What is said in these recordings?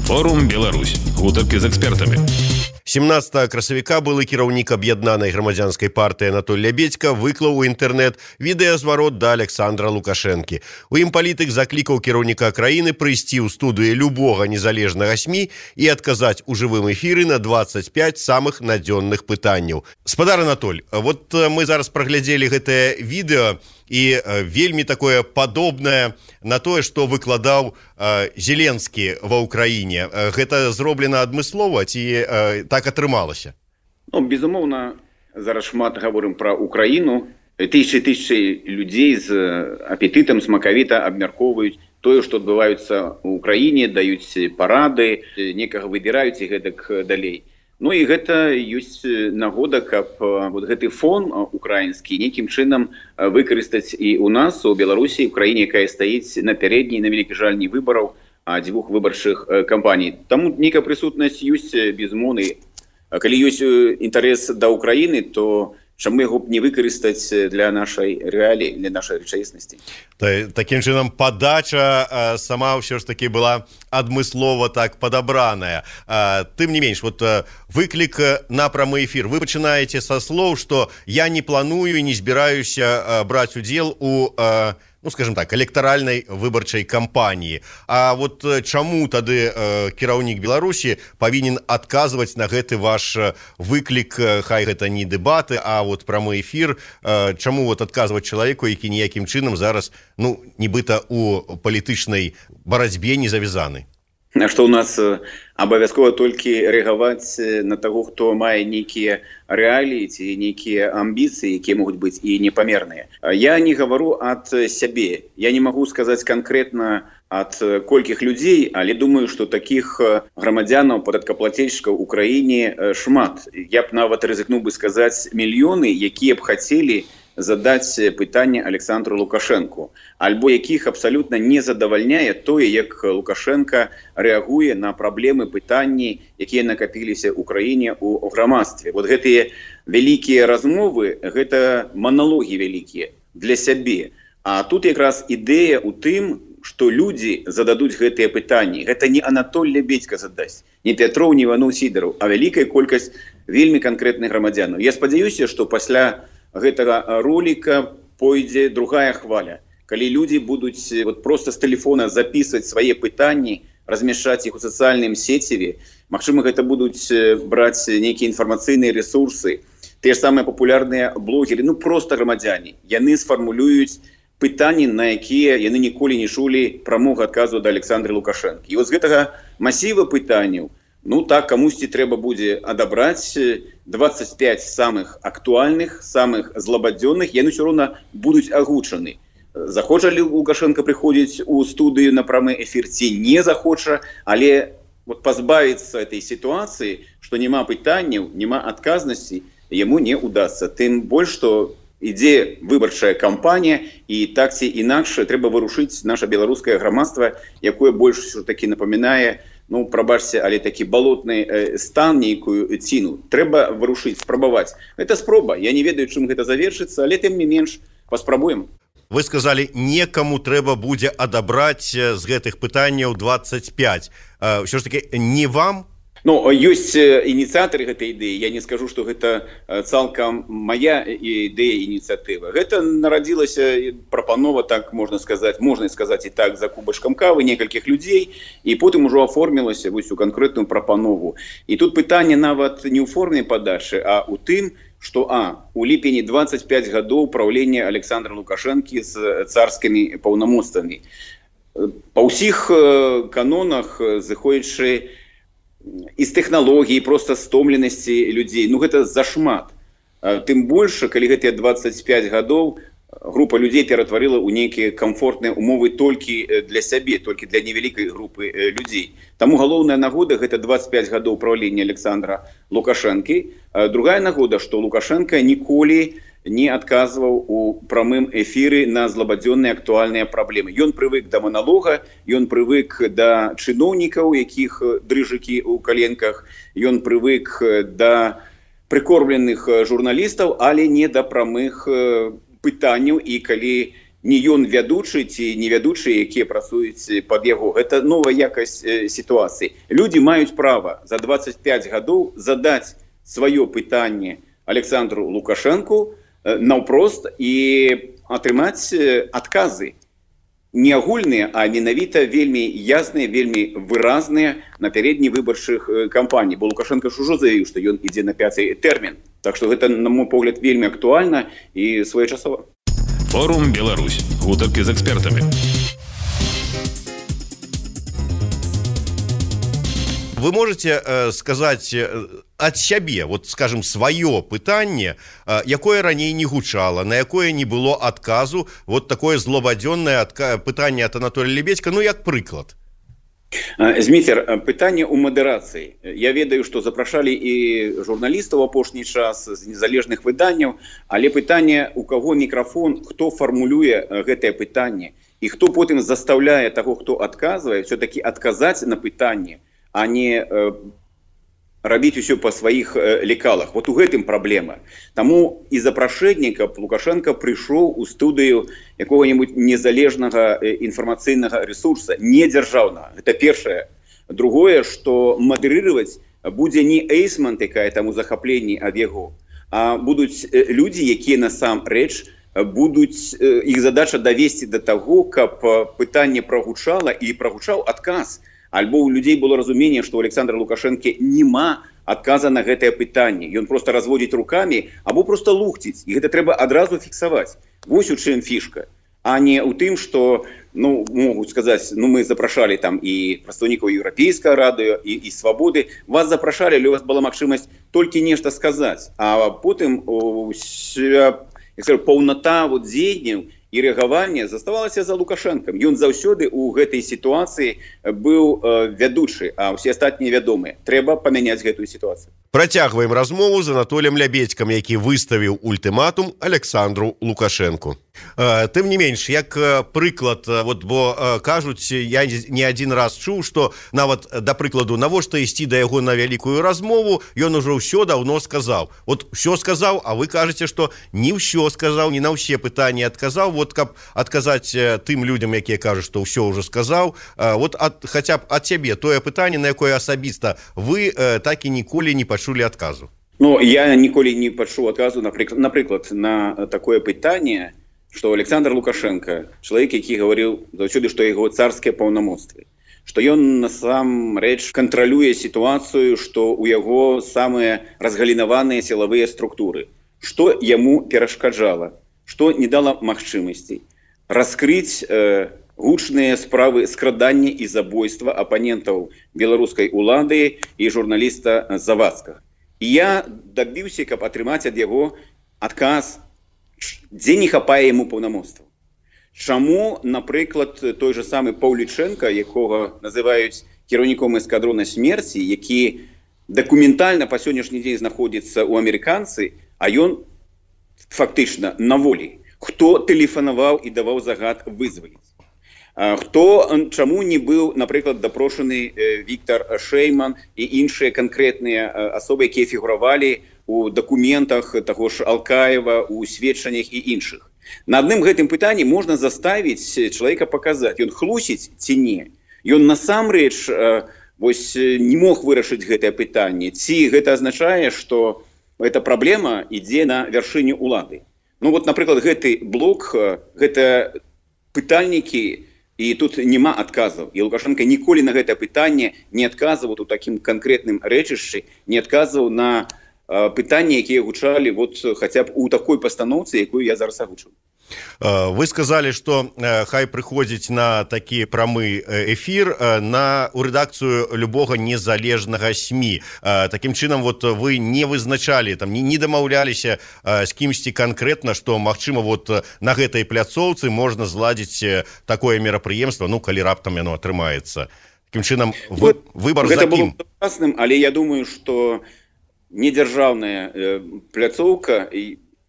Форум Беларусь. Гутаркі з экспертамі. 17 красавіка былы кіраўнік аб'яднанай грамадзянскай партыі Анатоль Лябедзька выклаў у інтэрнэт відэазварот да Александра Лукашэнкі. У ім палітык заклікаў кіраўніка краіны прыйсці ў студыю любога незалежнага СМІ і адказаць у жывым эфіры на 25 самых надзённых пытанняў. Спадар Анатоль, вот мы зараз праглядзелі гэтае відэо і вельмі такое падобнае на тое, што выкладаў Зеленскі ва Ўкраіне. Гэта зроблена адмыслова ці так атрымалася? Безумоўна, зараз шмат гаворым пра Украіну. Тысячы людзей з апетытам смакавіта абмяркоўваюць тое, што адбываецца ў Украіне, даюць парады, некага выбіраюць і гэтак далей. І гэта ёсць нагода, каб гэты фон украінскі нейкім чынам выкарыстаць і ў нас, у Беларусі, у краіне, якая стаіць на пярэдняй, на вялікі жаль, не выбараў, а дзвюх выбарчых кампаній. Таму нейкая прысутнасць ёсць безумоўнай. Калі ёсць інтарэс да Украіны, то чаму яго б не выкарыстаць для нашай рэаліі, для нашай рэчаіснасці? Такім чынам падача сама ўсё ж такі была адмыслова так падабраная. Тым не менш, выклік на прамы эфір. Вы пачынаеце са слоў, што я не планую і не збіраюся браць удзел у скажем так, электаральнай выбарчай кампаніі. А вот чаму тады кіраўнік Беларусі павінен адказваць на гэты ваш выклік, хай гэта не дэбаты, а вот прамы эфір, чаму адказваць чалавеку, які ніякім чынам зараз, нібыта у палітычнай барацьбе не завязаны? Што ў нас абавязкова толькі рэагаваць на таго, хто мае нейкія рэаліі ці нейкія амбіцыі, якія могуць быць і непамерныя. Я не гавару ад сябе. Я не магу сказаць канкрэтна ад колькіх людзей, але думаю, што такіх грамадзянаў, падаткаплацельшчыкаў у краіне шмат. Я б нават рызыкнуў бы сказаць мільёны, якія б хацелі задаць пытанне Александру Лукашэнку, альбо якіх абсалютна не задавальняе тое, як Лукашенко рэагуе на праблемы, пытанні, якія накапіліся ў краіне ў грамадстве. Вот гэтыя вялікія размовы, гэта маналогі вялікія для сябе. А тут якраз ідэя ў тым, што людзі зададуць гэтыя пытанні. Гэта не Анатоль Лябедзька задасць, не Пятроў, не Іванов Сідараў, а вялікая колькасць вельмі канкрэтных грамадзянаў. Я спадзяюся, што пасля гэтага ролика пойдзе другая хваля, калі людзі будуць проста з тэлефона записываць свае пытанні, размяшчаць іх у сацыяльным сеціве. Магчыма, гэта будуць браць нейкія інфармацыйныя ресурсы, тыя ж самыя папулярныя блогеры, проста грамадзяне. Яны сфармулююць пытанні, на якія яны ніколі не чулі прамога адказу да Александра Лукашэнкі. І з гэтага масіва пытанняў, так, камусьці трэба будзе адабраць 25 самых актуальных, самых злабадзённых, яны ўсё роўна будуць агучаны. Захоча ли Лукашенко прыходзіць у студыю на прамы эфір ці не захоча, але пазбавіцца этой сітуацыі, што няма пытанняў, няма адказнасці, яму не удасца. Тым больш, што ідзе выбарчая кампанія, і так ці інакш трэба вырушыць наша беларускае грамадства, якое больш такі напамінае, прабачце, але такі балотны стан, нейкую ціну. Трэба вырушыць, спрабаваць. Гэта спроба. Я не ведаю, чым гэта завершыцца, але тым не менш паспрабуем. Вы сказалі, некаму трэба будзе адабраць з гэтых пытанняў 25. Ўсё ж такі, не вам? Ёсць ініцыятары гэтай ідэі. Я не скажу, што гэта цалкам мая ідэя, ініцыятыва. Гэта нарадзілася прапанова, так можна сказаць і так, за кубачкам кавы некалькіх людзей, і потым ужо аформілася у канкрэтную прапанову. І тут пытанне нават не ў форме падачы, а ў тым, што у ліпені 25 гадоў праўлення Александра Лукашэнкі з царскімі паўнамоцтвамі. Па ўсіх канонах, зыходзячы і з тэхналогій, проста стомленасці людзей. Гэта зашмат. Тым больш, калі гэтыя 25 гадоў група людзей ператварыла ў нейкія камфортныя умовы толькі для сябе, толькі для невялікай групы людзей. Таму галоўная нагода — гэта 25 гадоў правлення Александра Лукашэнкі. Другая нагода, што Лукашенко ніколі не адказваў у прамым эфіры на злабадзённыя актуальныя праблемы. Ён прывык да маналога, ён прывык да чыноўнікаў, якіх дрыжыкі ў каленках, ён прывык да прыкормленых журналістаў, але не да прамых пытанняў. І калі не ён вядучы ці не вядучыя, якія працуюць пад яго. Гэта новая якасць сітуацыі. Людзі маюць права за 25 гадоў задаць сваё пытанне Александру Лукашенку наўпрост і атрымаць адказы. Не агульныя, а менавіта вельмі ясныя, вельмі выразныя напярэдні выбарчых кампаній. Бо Лукашенко ж ужо заявіў, што ён ідзе на 5-й тэрмін. Так што гэта, на мой погляд, вельмі актуальна і своечасова. Форум Беларусь. Гутарки з экспертами. Вы можете сказать от сябе, вот, скажем, свое пытанне, якое раней не гучало, на якое не было отказу, вот такое злобадзённое пытанне от Анатолия Лебедька, ну, як прыклад. Зміцер, пытанне ў мадэрацыі. Я ведаю, што запрашалі і журналістаў апошні час з незалежных выданняў, але пытанне, у каго мікрафон, хто фармулюе гэтае пытанне, і хто потым заставляе таго, хто адказвае, все-таки адказаць на пытанне, а не рабіць усё па сваіх лекалах. Вот у гэтым праблема. Таму і запрашэнне, каб Лукашенко прыйшоў у студыю якога-небудзь незалежнага інфармацыйнага ресурса, не дзяржаўнага. Гэта першае. Другое, што мадэрыраваць будзе не Эйсман, якая там у захапленні ад яго, а будуць людзі, якія насамрэч будуць, іх задача давесці да таго, каб пытанне прагучала і прагучаў адказ. Альбо у людзей было разуменне, што у Александра Лукашенко нема адказа на гэтае пытанне. Ён проста разводзіць рукамі, або проста лухціць. І гэта трэба адразу фіксаваць. Вось у чым фішка. А не ў тым, што, могуць сказаць, мы запрашалі там і прадстаўнікаў Еўрапейскага радыё, і Свабоды. Вас запрашалі, але у вас была магчымасць толькі нешта сказаць. А потым паўната дзеянняў і рэагаванне заставалася за Лукашенком. Ён заўсёды ў гэтай сітуацыі быў вядучы, а ўсе астатнія вядомыя. Трэба памяняць гэтую сітуацыю. Працягваем размову з Анатоліем Лябедзькам, які выставіў ультыматум Александру Лукашенку. Тым не менш, як прыклад, бо кажуць, я не адзін раз чуў, што нават, да прыкладу, навошта ісці да яго на вялікую размову, ён ужо ўсё даўно сказаў. Усё сказаў, а вы кажаце, што не ўсё сказаў, не на ўсе пытанні адказаў, каб адказаць тым людзям, якія кажуць, што ўсё ўжо сказаў, хаця б ад цябе тое пытанне, на якое асабіста вы так і ніколі не пачулі адказу. Я ніколі не пачуў адказу, напрыклад, на такое пытанне, што Александр Лукашенко, чалавек, які гаварыў заўсёды, што яго царскія паўнамоцтвы, што ён насамрэч кантралюе сітуацыю, што ў яго самыя разгалінаваныя сілавыя структуры. Што яму перашкаджала? Што не дала магчымасцей раскрыць гучныя справы скрадання і забойства апанентаў беларускай улады і журналіста Завадскага. І я дабіўся, каб атрымаць ад яго адказ, дзе не хапае яму паўнамоцтваў. Чаму, напрыклад, той же самы Паўлічэнка, якога называюць кіраўніком эскадрона смерці, які дакументальна па сённяшні дзень знаходзіцца ў амерыканцы, а ён фактычна на волі. Хто тэлефанаваў і даваў загад вызваліць? Чаму не быў, напрыклад, дапрошаны Віктор Шейман і іншыя канкрэтныя асобы, якія фігуравалі у дакументах таго ж Алкаева, у сведчаннях і іншых. На адным гэтым пытанні можна заставіць чалавека паказаць, ён хлусіць ці не. Ён насамрэч не мог вырашыць гэтае пытанне. Ці гэта азначае, што эта праблема ідзе на вяршыню улады. Напрыклад, гэты блок, гэта пытальнікі, і тут няма адказаў. І Лукашенко ніколі на гэтае пытанне не адказваў у такім канкрэтным рэчышчы, не адказваў на пытанні, якія гучалі хаця б у такой пастаноўцы, якую я зараз агучыў. Вы сказали, што хай прыходзіць на такі прамы эфір у рэдакцыю любога незалежнага СМІ. Такім чынам, вы не вызначалі, не дамаўляліся з кімсьці канкрэтна, што, магчыма, на гэтай пляцоўцы можна зладзіць такое мерапрыемства, калі раптам яно атрымаецца. Такім чынам, выбар за кім? Гэта было класным, але я думаю, што недзяржаўная пляцоўка,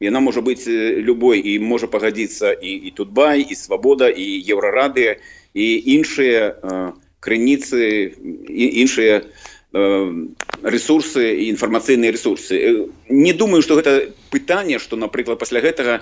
яна можа быць любой, і можа пагадзіцца і Тутбай, і Свабода, і Еўрарадыё, і іншыя крыніцы, іншыя ресурсы і інфармацыйныя ресурсы. Не думаю, што гэта пытанне, што, напрыклад, пасля гэтага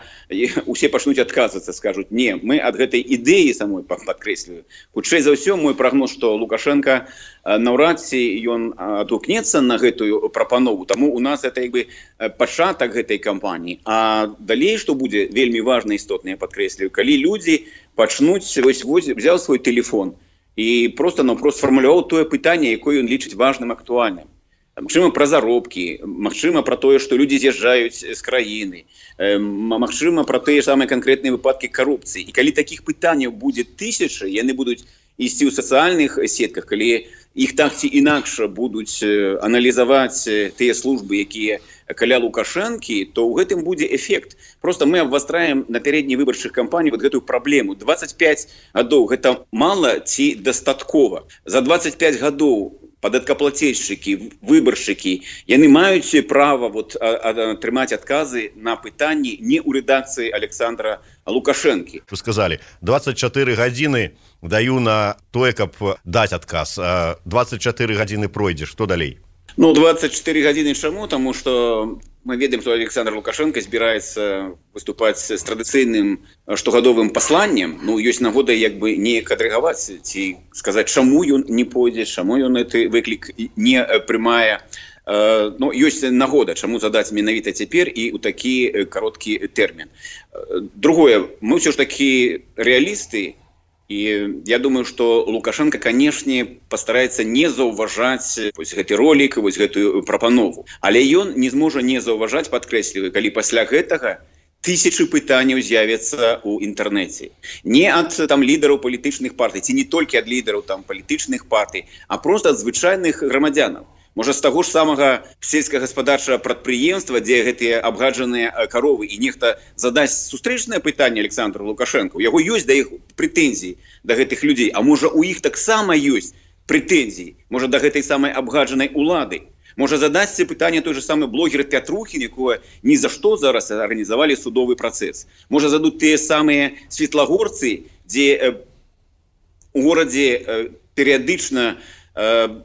усе пачнуць адказвацца, скажуць, не, мы ад гэтай ідэі самой падкрэслюю. Хутчэй за ўсё, мой прагноз, што Лукашенко наўрад ці ён адгукнецца на гэтую прапанову, таму у нас это як бы пачатак гэтай кампаніі. А далей, што будзе вельмі важна істотна, я падкрэслюю, калі людзі пачнуць, взяў свой телефон і просто-напрост сфармуляваў тое пытанне, якое ён лічыць важным, актуальным. Магчыма, пра заробкі, магчыма, пра тое, што людзі з'язджаюць з краіны, магчыма, пра тыя самыя канкрэтныя выпадкі карупцыі. І калі такіх пытанняў будзе тысячы, яны будуць ісці ў сацыяльных сетках, калі іх так ці інакш будуць аналізаваць тыя службы, якія каля Лукашэнкі, то ў гэтым будзе эфект. Просто мы абвастраем на пярэдняй выбарчых кампаній вот гэтую праблему. 25 гадоў гэта мала ці дастаткова? За 25 гадоў падаткаплацельшчыкі, выбаршчыкі, яны маюць права атрымаць адказы на пытанні не ў рэдакцыі Александра Лукашэнкі. Вы сказалі, 24 гадзіны даю на тое, каб даць адказ. 24 гадзіны пройдзе, што далей? 24 гадзіны чаму? Таму што мы ведаем, што Александр Лукашенко збіраецца выступаць з традыцыйным штогадовым пасланнем. Ёсць нагода як бы неяк адрэгаваць ці сказаць, чаму ён не пойдзе, чаму ён гэты выклік не прымае. Ёсць нагода, чаму задаць менавіта цяпер і ў такі кароткі тэрмін. Другое, мы ўсё ж такі рэалісты, і я думаю, што Лукашенко, канешне, пастараецца не заўважаць гэты ролік, гэтую прапанову. Але ён не зможа не заўважаць, падкрэсліваю, калі пасля гэтага тысячы пытанняў з'явяцца ў інтэрнэце. Не ад лідараў палітычных партый, ці не толькі ад лідараў палітычных партый, а проста ад звычайных грамадзянаў. Можа, з таго ж самага сельскагаспадарчага прадпрыемства, дзе гэтыя абгаджаныя каровы, і нехта задасць сустрэчнае пытанне Александру Лукашенко, у яго ёсць да іх прэтэнзіі да гэтых людзей, а можа, у іх таксама ёсць прэтэнзіі, можа, да гэтай самай абгаджанай улады. Можа, задасць пытанне той же самы блогер Пятрухін, якое ні за што зараз арганізавалі судовы працэс. Можа, зададуць тыя самыя светлагорцы, дзе у горадзе перыядычна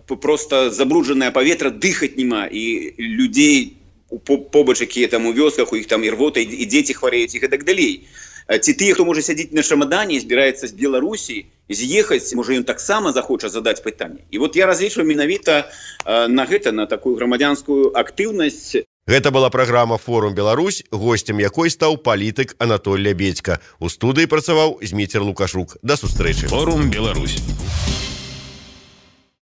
просто забруджанае паветра, дыхаць няма, і людзей побач, якія там у вёсках, у іх там і рвота, і дзеці хварэюць, і гэтак далей. Ці тыя, хто можа сядзіць на чамадане, збіраецца з Беларусі, з'ехаць, можа, ён таксама захоча задаць пытанне. І я разлічваю менавіта на гэта, на такую грамадзянскую актыўнасць. Гэта была праграма «Форум Беларусь», госцем якой стаў палітык Анатоль Лябедзька. У студыі працаваў Зміцер Лукашук. Да сустрэчы. «Форум Беларусь».